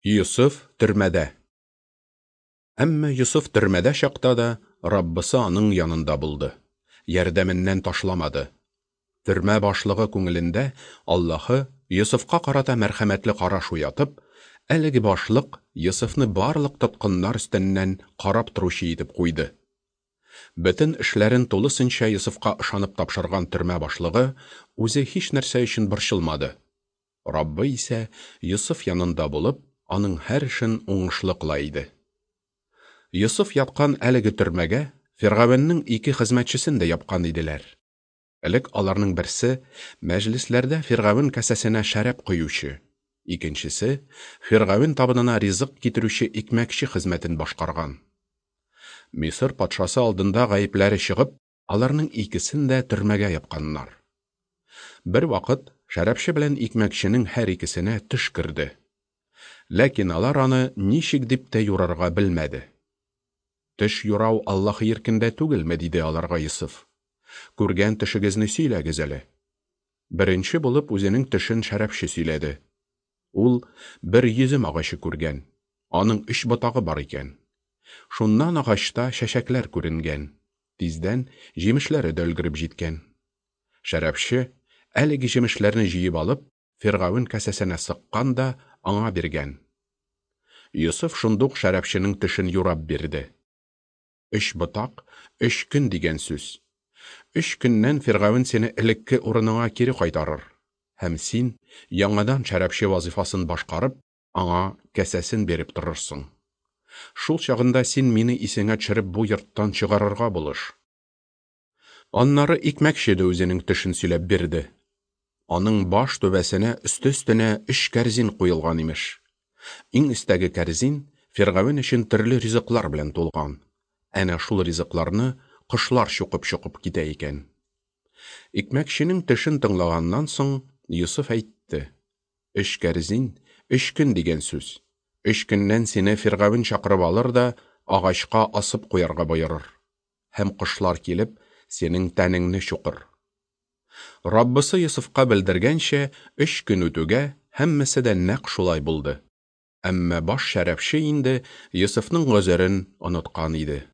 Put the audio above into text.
Йосыф төрмәдә. Әмма Йосыф төрмәдә чакта да Раббысы аның янында булды, ярдәменнән ташламады. Төрмә башлыгы күңелендә Аллаһы Йосыфка карата мәрхәмәтле караш уятып, әлеге башлык Йосыфны барлык тоткыннар өстеннән карап торучы итеп куйды. Бөтен эшләрен тулысынча Йосыфка ышанып тапшырган төрмә башлыгы үзе һич нәрсә өчен борчылмады. Раббы исә Йосыф янында булып, аның һәр эшен уңышлы кыла иде. Йосыф яткан әлеге төрмәгә Фиргавеннең ике хезмәтчесен дә япкан иделәр. Элек аларның берсе мәҗлесләрдә Фиргавен касәсенә шәраб коючы, икенчесе Фиргавен табынына ризык китерүче икмәкче хезмәтен башкарган. Мисыр патшасы алдында гаепләре чыгып, аларның икесен дә төрмәгә япканнар. Бер вакыт шәрабчы белән икмәкченең һәр икесенә төш керде. Ләкин алар аны ничек дип тә юрарга белмәде. Төш юрау Аллаһ иркендә түгелме, диде аларга Йосыф. Күргән төшегезне сөйләгез әле. Беренче булып үзенең төшен шәрабчы сөйләде. Ул бер йөзем агачы күргән. Аның өч ботагы бар икән. Шуннан агачта чәчәкләр күренгән. Тиздән җимешләре дә өлгереп җиткән. Шәрабчы әлеге җимешләрне җыеп алып, Фиргавен касәсенә сыккан да аңа биргән. Йосыф шундук шәрабчының төшен юрап бирде. Өч ботак, өч көн дигән сүз. Өч көннән Фиргавен сине элекке урыныңа кире кайтарыр, һәм син яңадан шәрабчы вазифасын башкарып, аңа кәсәсен биреп торырсың. Шул чагында син мине исеңә төшереп бу йорттан чыгарырга булыш. Аннары икмәкче дә үзенең төшен сөйләп бирде. Аның баш түбәсенә өсте-өстенә өч кәрзин куелган имеш. Иң өстәге кәрзин Фиргавен өчен төрле ризыклар белән тулган. Әнә шул ризыкларны кошлар чукып-чукып китә икән. Икмәкченең төшен тыңлаганнан соң Йосыф әйтте: Өч кәрзин, өч көн дигән сүз. Өч көннән сине Фиргавен чакырып алыр да агачка асып куярга боерыр. Һәм кошлар килеп, синең тәнеңне чукыр. Раббысы Йосыфка белдергәнчә, өч көн үтүгә, һәммәсе дә нәкъ шулай булды. Әмма баш шәрабчы инде Йосыфның гозерен оныткан иде.